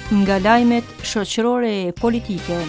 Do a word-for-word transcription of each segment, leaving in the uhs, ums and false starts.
Nga lajmet shoqërore e politike.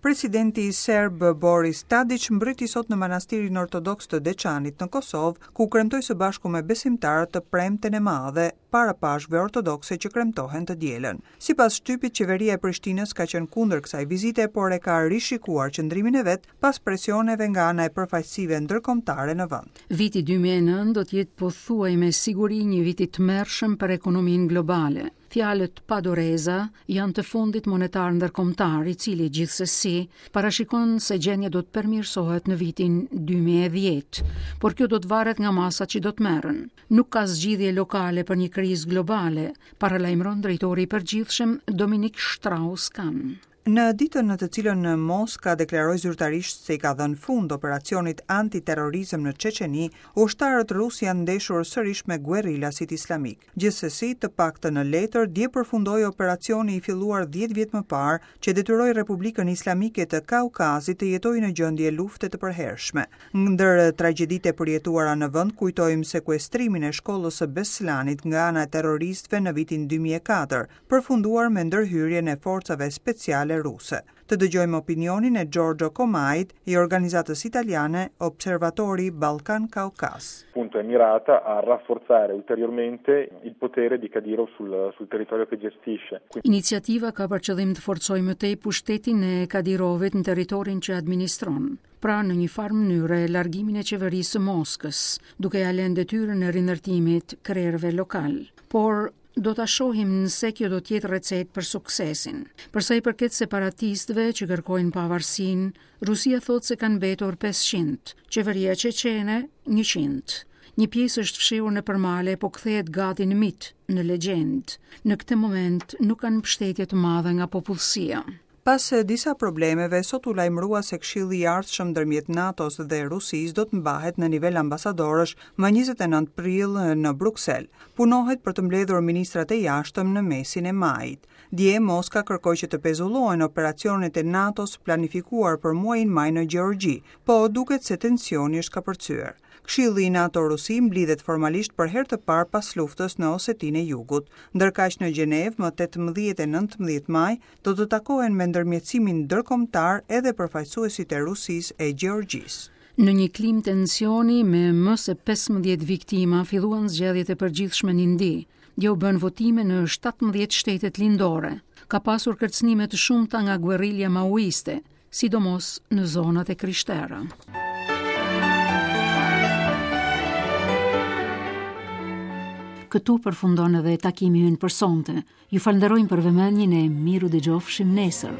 Presidenti serb Boris Tadic mbriti sot në manastirin ortodoks të Deçanit në Kosovë, ku kremtoi së bashku me besimtarët të premten e madhe para Pashkëve ortodokse që kremtohen të dielën. Sipas shtypit, qeveria e Prishtinës ka qenë kundër kësaj vizite, por e ka rishikuar qëndrimin e vet pas presioneve nga ana e përfaqësive ndërkombëtare në vend. Viti dy mijë e nëntë do të jetë pothuaj me siguri një vit i tmerrshëm për ekonominë globale. Fjalët pa doreza janë të Fondit Monetar Ndërkombëtar, i cili gjithsesi parashikon se gjendja do të përmirësohet në vitin dy mijë e dhjetë, por kjo do të varet nga masat që do të merren. Nuk ka zgjidhje lokale për një krizë globale, paralajmëron drejtori i përgjithshëm Dominik Strauss-Kahn. Në ditën në të cilën Moska deklaroi zyrtarisht se i ka dhënë fund operacionit antiterrorizëm në Çeçeni, ushtarët rusë janë ndeshur sërish me guerrilasit islamik. Gjithsesi, të paktën në letër, dje përfundoi operacioni i filluar dhjetë vjet më parë që detyroi Republikën Islamike të Kaukazit të jetojë në gjendje lufte të përhershme. Ndër tragjeditë e përjetuara në vend, kujtojmë sekuestrimin e shkollës së Beslanit nga ana e terroristëve në vitin dy mijë e katër, përfunduar me ndërhyrjen e forcave speciale ruse. Të dëgjojmë opinionin e Giorgio Comait i organizatës italiane Observatori Balkan Kaukas. Punto è mirata a rafforzare ulteriormente il potere di Kadyrov sul, sul territorio che gestisce. Iniciativa ka për qëllim të forcojë më tej pushtetin e Kadyrovit në territorin që administron, pra në një farë mënyre largimin e qeverisë së Moskës, duke ja lënë detyrën e rindërtimit krerëve lokal. Por do ta shohim nëse kjo do të jetë recetë për suksesin. Për sa i përket separatistëve që kërkojnë pavarësinë, Rusia thotë se kanë mbetur pesëqind, qeveria çeçene njëqind. Një pjesë është fshehur në përmale, po kthehet gati në mit, në legjendë. Në këtë moment nuk kanë mbështetje të madhe nga popullsia. Pas disa problemeve, sot u lajmërua se Këshilli i ardhshëm ndërmjet NATO-s dhe Rusisë do të mbahet në nivel ambasadorësh më njëzet e nëntë prill në Bruksel. Punohet për të mbledhur ministrat e jashtëm në mesin e majit. Dje Moska kërkoi që të pezullohen operacionet e NATO-s planifikuar për muajin maj në Gjeorgji, po duket se tensioni është kapërcyer. Këshilli i NATO-Rusi mblidhet formalisht për herë të parë pas luftës në Osetinë e Jugut, ndërkaq në Gjenevë më tetëmbëdhjetë e nëntëmbëdhjetë maj do të takohen me ndërmjetësimin ndërkombëtar edhe përfaqësuesit e Rusisë e Gjeorgjisë. Në një klim tensioni me më se pesëmbëdhjetë viktima filluan zgjedhjet e përgjithshme në Indi. Dje u bën votime në shtatëmbëdhjetë shtetet lindore. Ka pasur kërcënime të shumta nga guerrilja maoiste, sidomos në zonat e krishtera. Këtu përfundon edhe takimi ynë për sonte. Ju falenderojmë për vëmendjen e miru dëgjofshim nesër.